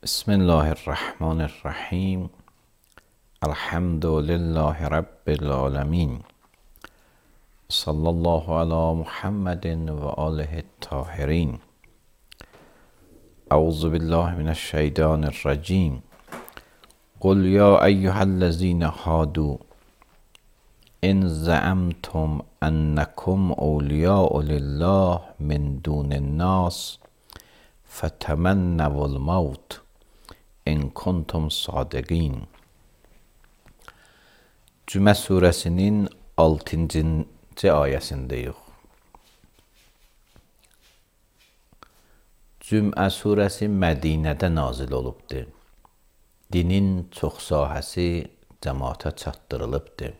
بسم الله الرحمن الرحیم. الحمد لله رب العالمین. صلی الله علی محمد و آله الطاهرین. اعوذ بالله من الشیطان الرجیم. قل یا ایها الذین هادوا ان زعمتم انکم اولیاء لله من دون الناس فتمنوا الموت in kuntum sadiqin. Cümə surəsinin 6-cı ayəsindəyik. Cümə surəsi Mədinədə nazil olubdur. Dinin çox sahəsi cəmaata çatdırılıbdır.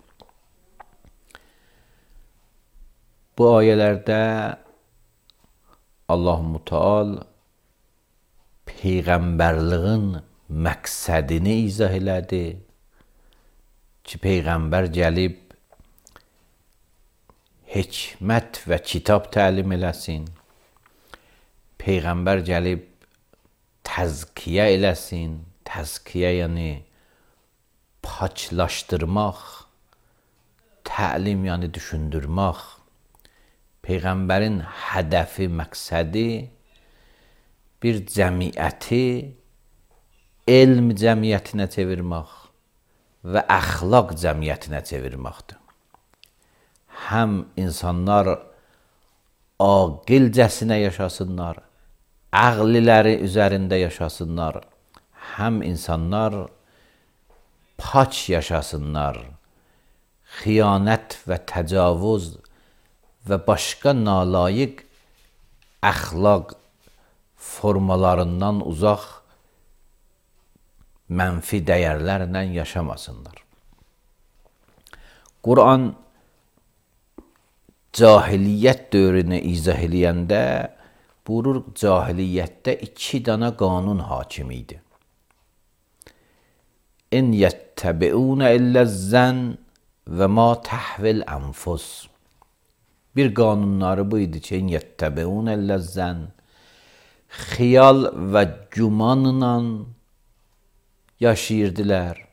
Bu ayələrdə Allah-u Teala Peyğəmbərliğin məqsədini izah elədi ki, Peyğəmbər gəlib hikmət və kitab təlim eləsin. Peyğəmbər gəlib təzkiyə eləsin. Təzkiyə yəni paçlaşdırmaq, təlim yəni düşündürmək. Peyğəmbərin hədəfi, məqsədi bir cəmiyyəti elm cəmiyyətinə çevirmək və əxlaq cəmiyyətinə çevirməkdir. Həm insanlar aqilcəsinə yaşasınlar, ağliləri üzərində yaşasınlar, həm insanlar paç yaşasınlar, xiyanət və təcavüz və başqa nalayiq əxlaq formalarından uzaq mənfi dəyərlərlə yaşamasınlar. Quran cahiliyyət dövrünü izah eləyəndə buyurur, cahiliyyətdə 2 dana qanun hakim idi. İn yəttəbi'unə illəzzən və ma təhvil ənfus. Bir qanunları bu idi ki, in yəttəbi'unə illəzzən, xiyal və gümanla yaşayırdılar.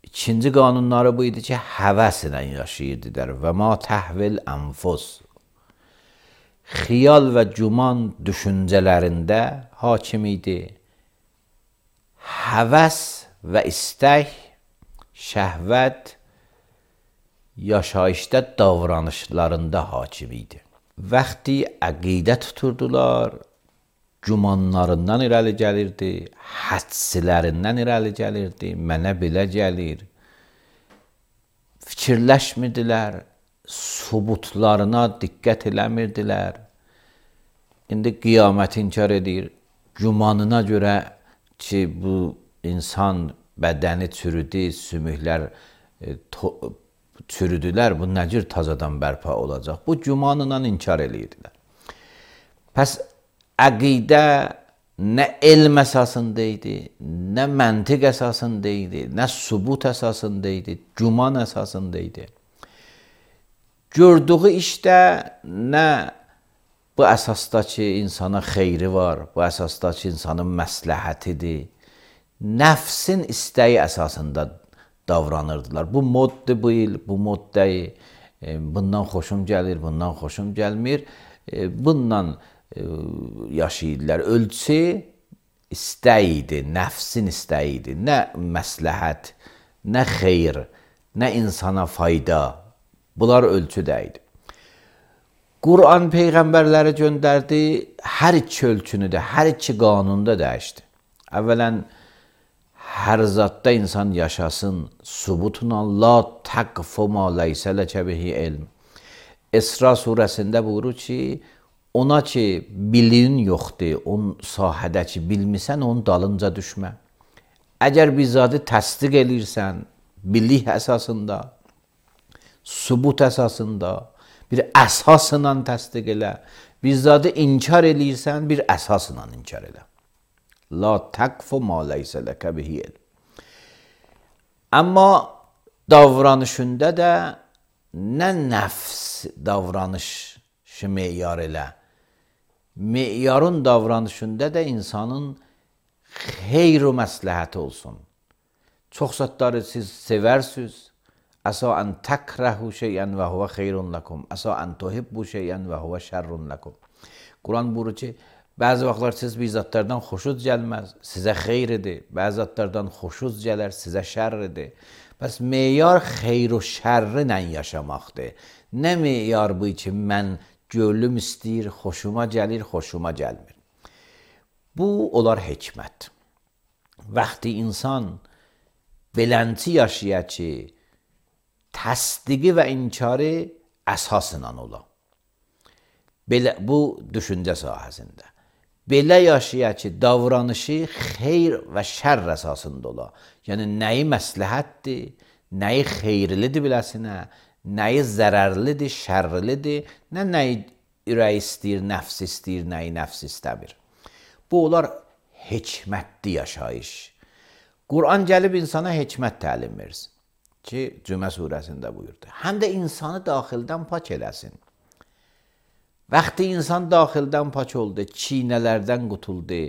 İkinci qanunları bu idi ki, həvəslə yaşayırdılar. Və ma təhvil ənfus. Xiyal və güman düşüncələrində hakim idi. Həvəs və istək, şəhvət yaşayışda davranışlarında hakim idi. Vaxtı əqidə tuturdular, gümanlarından irəli gəlirdi, hədslərindən irəli gəlirdi, mənə belə gəlir. Fikirləşmirdilər, subutlarına diqqət eləmirdilər. İndi qiyaməti inkar edir, gümanına görə ki, bu insan bədəni çürüdü, sümüklər çürüdülər, bu nə cür tazadan bərpa olacaq? Bu gümanla inkar edirdilər. Pəs əqidə nə elm əsasında idi, nə məntiq əsasında idi, nə sübut əsasında idi, güman əsasında idi. Gördüyü işdə nə bu əsasda ki, insana xeyri var, bu əsasda ki, insanın məsləhətidir, nəfsin istəyi əsasında davranırdılar. Bu moddur bu il, bu mod deyil, bundan xoşum gəlir, bundan xoşum gəlmir, bundan yaşayırdılar. Ölçü istək idi, nəfsin istəyi idi, nə məsləhət, nə xeyr, nə insana fayda, bunlar ölçü deyildi. Quran Peyğəmbərləri göndərdi, hər iki ölçünü də, hər iki qanunu da dəyişdi. Əvvələn, hər zatda insan yaşasın, subutla la təqfu ma leysə ləkə bihi elm. İsra surəsində buyurur ki, ona ki, bilin yoxdur, onun sahədə ki, bilmirsən, onun dalınca düşmə. Əgər bir zadı təsdiq eləyirsən, bilik əsasında, subut əsasında, bir əsasla təsdiq elə, bir zadı inkar eləyirsən, bir əsasla inkar elə. La təqfu ma leysə ləkə bihi elm. Amma davranışında da nə nəfs davranışı meyar elə. Meyarın davranışında da insanın xeyr və məsləhət olsun. Çox zətləri siz sevərsiniz. Əsa ən təkrəhu şeyən və huvə xeyrun lakum. Əsa ən tuhibbu şeyən və huvə şərrun lakum. Quran buyurur ki, bəzi vaxtlar siz bir zətlərdən xoşunuz gəlməz, sizə xeyridir. Bəzi zətlərdən xoşunuz gələr, sizə şərridir. Bəs meyar xeyr və şərrinlə yaşamaqdır. Nə meyar bu ki, mən gönlüm istəyir, xoşuma gəlir, xoşuma gəlmir. Bu olar hikmət. Vaxtı insan belənti yaşaya ki, təsdiqi və inkarı əsasla ola. Bu düşüncə sahəsində. Belə yaşaya ki, davranışı xeyr və şərr əsasında ola. Yəni, nəyi məsləhətdir, nəyi xeyirlidir biləsinə, nəyi zərərlidir, şərrlidir, nəyi ürək istəyir, nəfs istəyir, nəyi nəfs istəmir. Bu olar hikmətli yaşayış. Quran gəlib insana hikmət təlim versin ki, Cümə surəsində buyurdu. Həm də insanı daxildən pak eləsin. Vaxtı insan daxildən pak oldu, çiynələrdən qutuldu,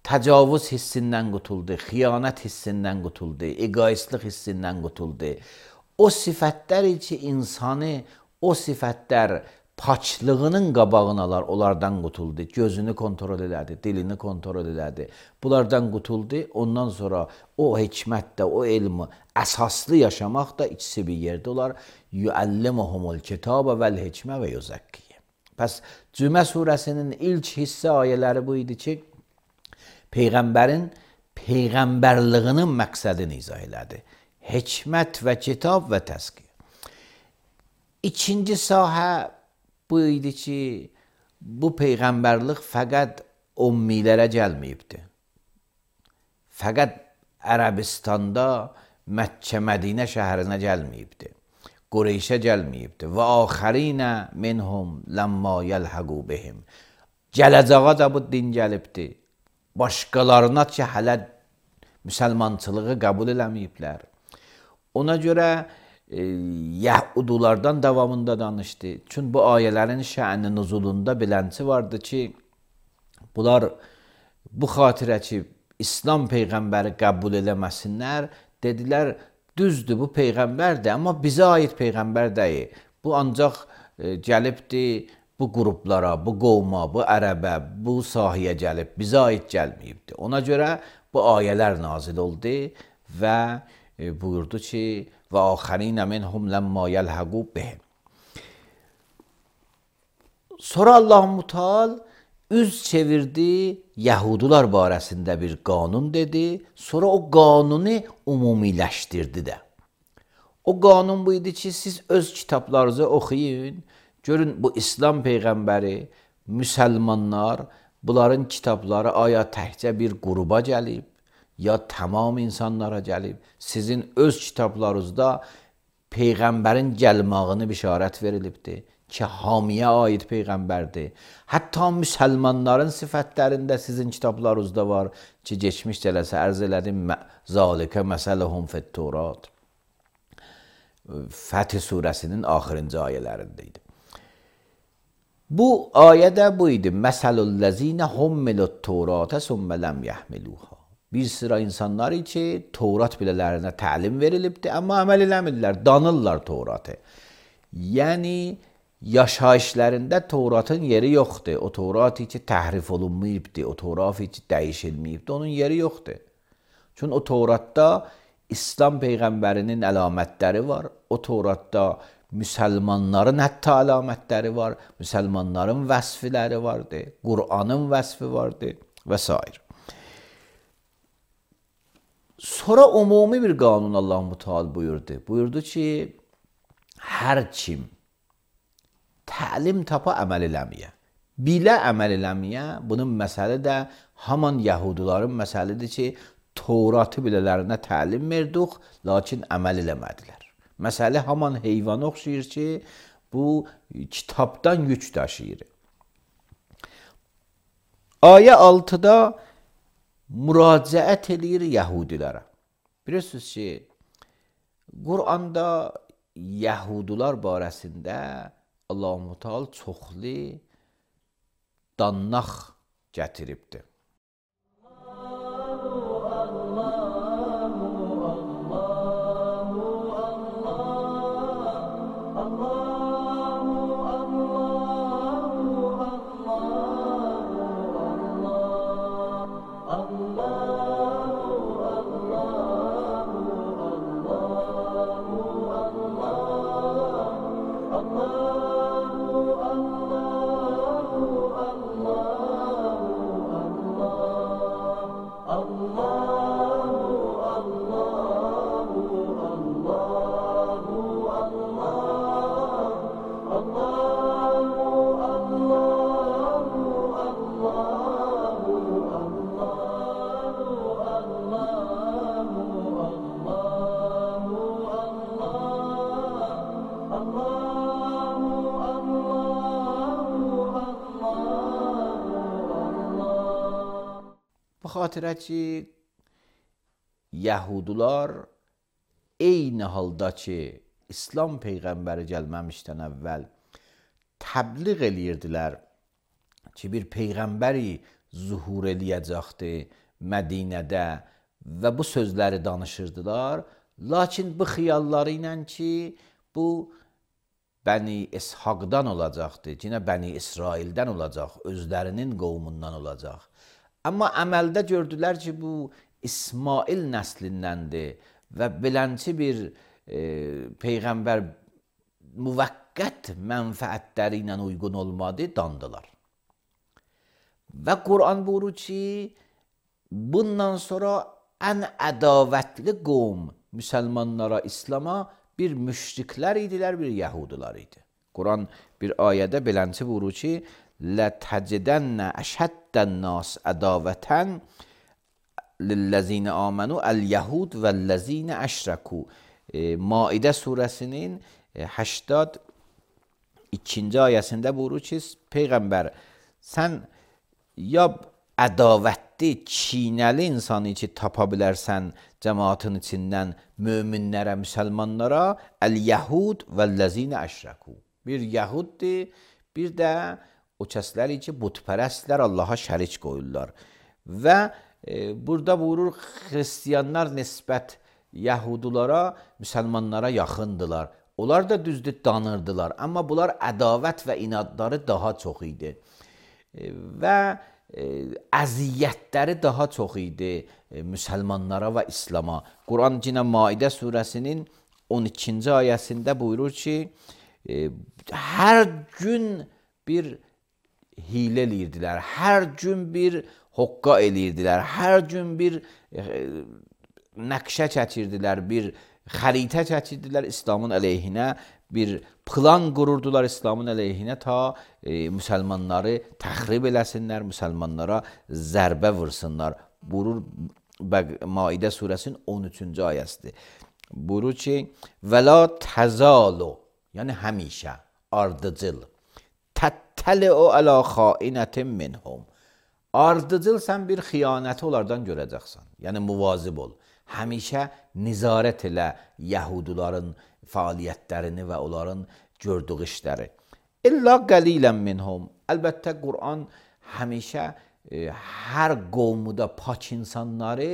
təcavüz hissindən qutuldu, xiyanət hissindən qutuldu, egoistlik hissindən qutuldu. O sifətlər ki, insanı o sifətlər paçlığının qabağını alar, onlardan qutuldu. Gözünü kontrol elədi, dilini kontrol elədi. Bunlardan qutuldu. Ondan sonra o hikmətdə, o elmi əsaslı yaşamaq da ikisi bir yerdə olar. Yuəllimuhumul kitabə vəl hikmə və yuzəkkiyə. Pəs Cümə surəsinin ilk hissə ayələri bu idi ki, Peyğəmbərin Peyğəmbərlığinin məqsədini izah elədi. Hikmət və kitab və təzkiyə. İkinci sahə bu idi ki, bu Peyğəmbərlik fəqət ummilərə gəlməyibdir. Fəqət Ərəbistanda Məkkə, Mədinə şəhərinə gəlməyibdir. Qureyşə gəlməyibdir. Və axərinə minhum ləmmə yəlhəqu bihim. Gələcəyə da bu din gəlibdir. Başqalarına ki, hələ müsəlmançılığı qəbul eləməyiblər. Ona görə Yəhudulardan davamında danışdı. Çünki bu ayələrin şə'ni nuzulunda bilənçi vardı ki, bunlar bu xatirə ki, İslam Peyğəmbəri qəbul eləməsinlər, dedilər, düzdür, bu Peyğəmbərdir, amma bizə aid Peyğəmbər deyil. Bu ancaq gəlibdir bu qruplara, bu qovma, bu ərəbə, bu sahəyə gəlib, bizə aid gəlməyibdir. Ona görə bu ayələr nazil oldu və buyurdu ki, və axərinə minhum ləmmə yəlhəqu bihim. Sonra Allah-u Teala üz çevirdi, Yahudular barəsində bir qanun dedi, sonra o qanunu ümumiləşdirdi də. O qanun bu idi ki, siz öz kitablarınızı oxuyun, görün bu İslam Peyğəmbəri, müsəlmanlar, bunların kitabları aya təkcə bir qruba gəlib, ya tamam insanlara gəlib. Sizin öz kitablarınızda Peyğəmbərin gəlmağını bişarət verilibdir ki, hamiyə aid Peyğəmbərdir. Hətta müsəlmanların sifətlərində sizin kitablarınızda var ki, geçmiş cələsə ərz elədim, zalikə məsələhum fit-Tevrat. Fəth surəsinin axırıncı ayələrində idi. Bu ayədə bu idi. Məsəlul-ləzinə hummilut-Tevratə sümmə ləm yəhmiluha. Bir sıra insanlar ki, Tevrat bilələrinə təlim verilibdir, amma əməl eləmirlər, danırlar Tevratı. Yəni, yaşayışlarında Tevratın yeri yoxdur. O Tevrat ki, təhrif olunmayıbdır, o Tevrat ki, dəyişilməyibdir, onun yeri yoxdur. Çünki o Tevratda İslam Peyğəmbərinin əlamətləri var, o Tevratda müsəlmanların hətta əlamətləri var, müsəlmanların vəsfləri vardır, Qur'anın vəsfi vardır və s. Sonra umumi bir qanun Allah-u Teala buyurdu. Buyurdu ki, hər kim təlim tapa əməl eləməyə, bilə əməl eləməyə, bunun məsələ də haman Yahudilərin məsələdir ki, Tevratı bilələrinə təlim verdik, lakin əməl eləmədilər. Məsələ haman heyvana oxşayır ki, bu kitabdan yük daşıyır. Ayə 6-da müraciət edir Yahudilərə. Bilirsiniz ki, Qur'anda Yahudilar barəsində Allah-u Teala çoxlu dannaq gətiribdir. Bu xatirə ki, Yahudular eyni halda ki, İslam Peyğəmbəri gəlməmişdən əvvəl təbliğ eləyirdilər ki, bir Peyğəmbəri zuhur eləyəcəkdi Mədinədə və bu sözləri danışırdılar. Lakin bu xiyalları ilə ki, bu Bəni İshaqdan olacaqdı, yine Bəni İsraildən olacaq, özlərinin qovmundan olacaq. Amma əməldə gördülər ki, bu İsmail nəslindəndir və beləncə bir Peyğəmbər müvəqqət mənfəətləri ilə uyğun olmadı, dandılar. Və Quran buyurur ki, bundan sonra ən ədavətli qovm müsəlmanlara, İslama bir müşriklər idilər, bir Yahudilar idi. Quran bir ayədə beləncə buyurur ki, لَتَجِدَنَّ أَشَدَّ النَّاسِ عَدَاوَةً لِلَّذِينَ آمَنُوا الْيَهُودُ وَالَّذِينَ أَشْرَكُوا. Maidə surəsinin 82-ci ayəsində buyurur ki, Peyğəmbər, sən ya ədavətli, çiynəli insanı ki, tapa bilərsən cəmaatın içindən möminlərə, müsəlmanlara, əl-yəhud vəl-ləzinə əşrəku. Bir yəhuddir, bir də o kəsləri ki, butpərəstlər, Allaha şərik qoyurlar. Və burada buyurur, xristiyanlar nisbət yəhudulara, müsəlmanlara yaxındılar. Onlar da düzdür, danırdılar. Amma bunlar ədavət və inadları daha çox idi. Və əziyyətləri daha çox idi müsəlmanlara və İslama. Quran yine Maidə surəsinin 12-ci ayəsində buyurur ki, hər gün bir hilə eləyirdilər, hər gün bir hoqqa eləyirdilər, hər gün bir nəqşə çəkirdilər, bir xəritə çəkirdilər İslamın əleyhinə, bir plan qururdular İslamın əleyhinə ta müsəlmanları təxrib eləsinlər, müsəlmanlara zərbə vursunlar. Buyurur Maidə surəsinin 13-cü ayəsidir. Buyurur ki, وَلَا تَزَالُ yəni həmişə, ardıcıl, تَتَّلِعُ عَلَى خَائِنَةٍ مِّنْهُمْ ardıcıl sən bir xiyanəti onlardan görəcəksən. Yəni muvazib ol. Həmişə nizarət elə Yahuduların fəaliyyətlərini və onların gördüyü işləri. İlla qalilən minhum. Əlbəttə Quran həmişə hər qovmuda pak insanları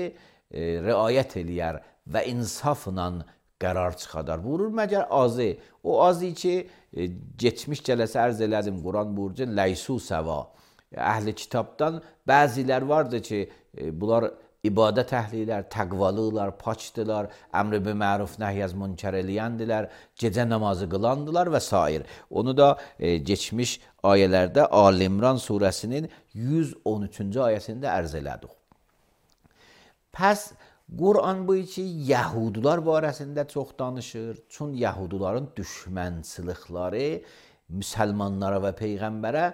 riayət eləyər və insafla qərar çıxadar. Buyurur məgər azı. O azı ki, geçmiş cələsə ərz elədim. Quran buyurur ki, ləysu səva. Əhli kitabdan bəzilər vardı ki, bunlar ibadət əhlilər, təqvalılar, paçdılar, əmr-i biməruf, nəhy-əz münkər eləyəndilər, gecə namazı qılandılar və s. Onu da geçmiş ayələrdə Ali-İmran surəsinin 113-cü ayəsində ərz elədik. Pəs Quran bu ki, Yahudular barəsində çox danışır. Çün Yahuduların düşmənçilikləri müsəlmanlara və Peyğəmbərə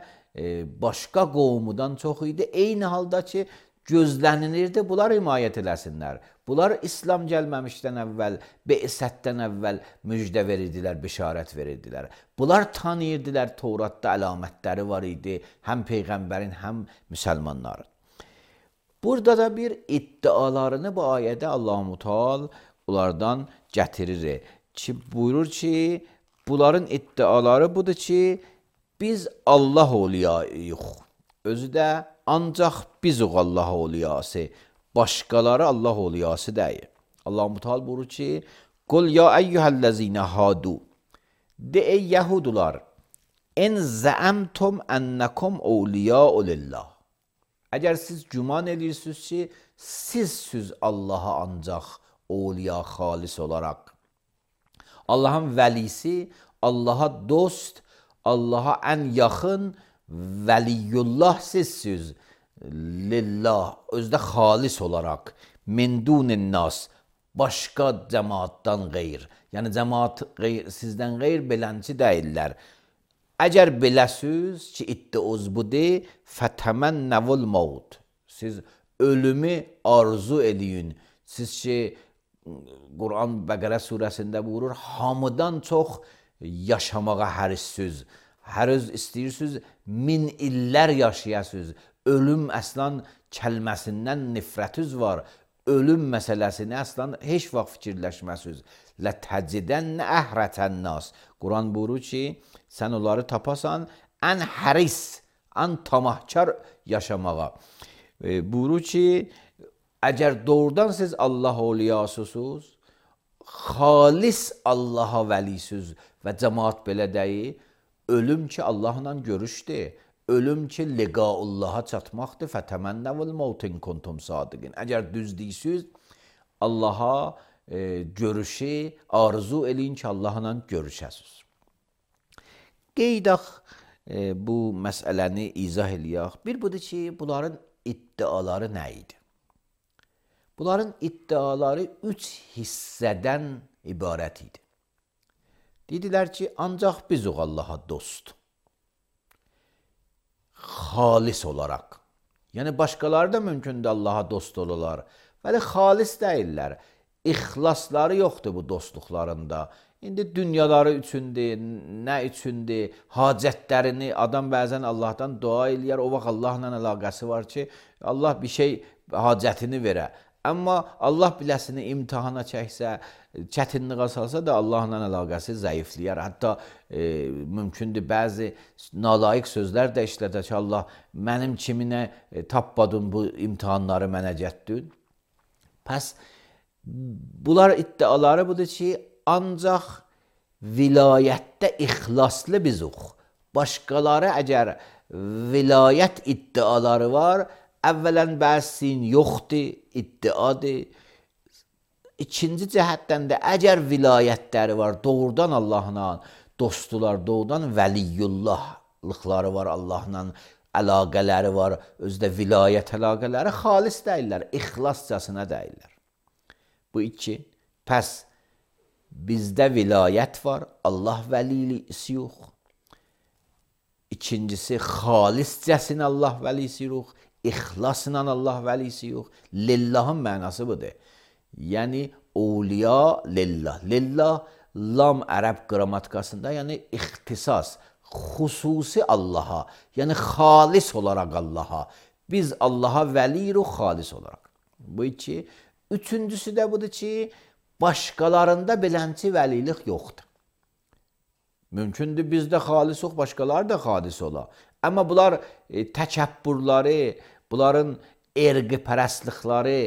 başqa qovmudan çox idi. Eyni halda ki, gözlənilirdi, bunlar himayət eləsinlər. Bunlar İslam gəlməmişdən əvvəl, Be'sətdən əvvəl müjdə verirdilər, bişarət verirdilər. Bunlar tanıyırdılar, Tevratda əlamətləri var idi, həm Peyğəmbərin, həm müsəlmanların. Burada da bir iddialarını bu ayədə Allah-u Teala onlardan gətirir. Ki, buyurur ki, bunların iddiaları budur ki, biz Allah oluyayıq. Özü də ancaq bizuq Allah oluyası. Başqaları Allah oluyası deyil. Allah-u Teala buyurur ki, Qul ya eyyuhəl-ləzinə hadu. De ey Yahudular, en zəəmtum ənnəkum awliya'u lillah. Əgər siz güman edirsiniz ki, siz Allaha ancaq awliya xalis olaraq, Allahın vəlisi, Allaha dost, Allaha ən yaxın vəliyullah sizsiniz. lillah, özdə xalis olaraq, min dunin nas, başqa cəmaatdan qeyr. Yəni cəmaat sizdən qeyr belənçi deyirlər. Əgər beləsiz ki, iddiuz budur, fətəmənnəvul maut. Siz ölümü arzu eləyin. Siz ki, Quran Bəqərə surəsində buyurur, hamıdan çox yaşamağa hərissiz. Həriz istəyirsiniz, min illər yaşayasınız. Ölüm əslan kəlməsindən nifrətiniz var. Ölüm məsələsini əslan heç vaxt fikirləşməsiniz. Lətəcidənnə əhrətən nas. Quran buyurur ki, sən onları tapasan, ən həris, ən tamahkar yaşamağa. Buyurur ki, əgər doğrudan siz Allah oliyasısınız, xalis Allaha vəlisiz və cəmaat belə deyil, ölüm ki Allahla görüşdür, ölüm ki liqaullaha çatmaqdır, fətəmənnəvul mautin kuntum sadiqin. Əgər düz deyirsiz, Allaha görüşü arzu eləyin ki, Allahla görüşəsiz. Qeydaq bu məsələni izah eləyək. Bir budur ki, bunların iddiaları nə idi? Bunların iddiaları 3 hissədən ibarət idi. Dedilər ki, ancaq biz o Allaha dost. Xalis olaraq. Yəni, başqaları da mümkündür Allaha dost olurlar. Bəli, xalis deyirlər. İxlasları yoxdur bu dostluqlarında. İndi dünyaları üçündür, nə üçündür, hacətlərini, adam bəzən Allahdan dua eləyər, o vaxt Allahla əlaqəsi var ki, Allah bir şey hacətini verə. Amma Allah biləsini imtihana çəksə, çətinliyə salsa da Allahla əlaqəsi zəifləyər. Hətta mümkündür bəzi nalayiq sözlər də işlədir ki, Allah mənim kiminə tapmadın bu imtihanları mənə gətdin. Pəs bunlar iddiaları budur ki, ancaq vilayətdə ixlaslı bizuq. Başqaları əgər vilayət iddiaları var, əvvələn bəsin yoxdur, iddiadır. İkinci cəhətdən də əgər vilayətləri var, doğrudan Allahla dostdular, doğrudan vəliyullahlıqları var, Allahla əlaqələri var, özdə vilayət əlaqələri xalis deyirlər, ixlascasına deyirlər. Bu iki. Pəs bizdə vilayət var, Allah vəlisi yox. İkincisi, xaliscəsinə Allah vəlisi yox. İxlasla Allah vəlisi yox. Lillahın mənası budur. Yəni, awliya lillah. Lillah, lam ərəb qrammatikasında, yəni ixtisas, xüsusi Allaha, yəni xalis olaraq Allaha. Biz Allaha vəliyirik xalis olaraq. Bu iki. Üçüncüsü də budur ki, başqalarında belənçi vəlilik yoxdur. Mümkündür bizdə xalis yox, başqaları da xalis ola. Amma bunlar təkəbbürləri, bunların erqi pərəstlikləri,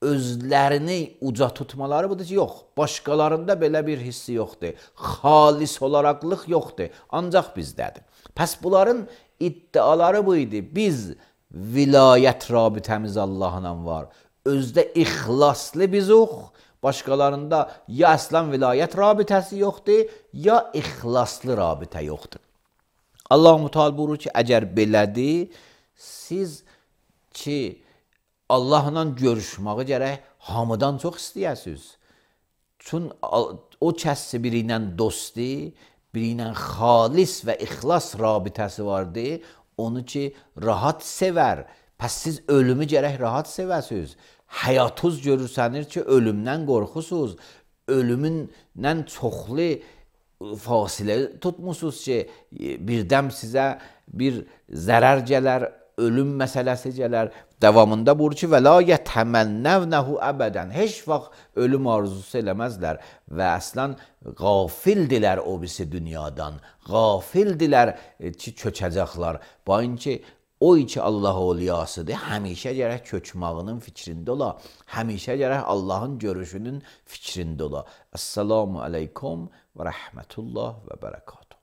özlərini uca tutmaları budur ki, yox. Başqalarında belə bir hissi yoxdur. Xalis olaraqlıq yoxdur. Ancaq bizdədir. Pəs bunların iddiaları bu idi. Biz vilayət rabitəmiz Allahla var. Özdə ixlaslı bizuq. Başqalarında ya əslan vilayət rabitəsi yoxdur, ya ixlaslı rabitə yoxdur. Allah-u Teala buyurur ki, əgər belədir, siz ki, Allahla görüşməyi gərək hamıdan çox istəyəsiniz. Çünki o kəsi biri ilə dosti, biri ilə xalis və ixlas rabitəsi vardır, onu ki, rahat sevər. Pəs siz ölümü gərək rahat sevəsiniz. Həyatınız görürsənir ki, ölümdən qorxusuz. Ölümündən çoxlu fasilə tutmusunuz ki, birdən sizə bir zərər gələr, ölüm məsələsi gələr. Davamında buyurur ki, və la yətəmənnəvnəhu əbədən. Heç vaxt ölüm arzusu eləməzlər və əslən qafildilər o birisi dünyadan. Qafildilər ki, köçəcəklər. Bayın ki, o ki Allah oliyasıdır, həmişə gərək köçmağının fikrində ola, həmişə gərək Allahın görüşünün fikrində ola. Əssalamu aleykum və rəhmətullah və bərəkatuhu.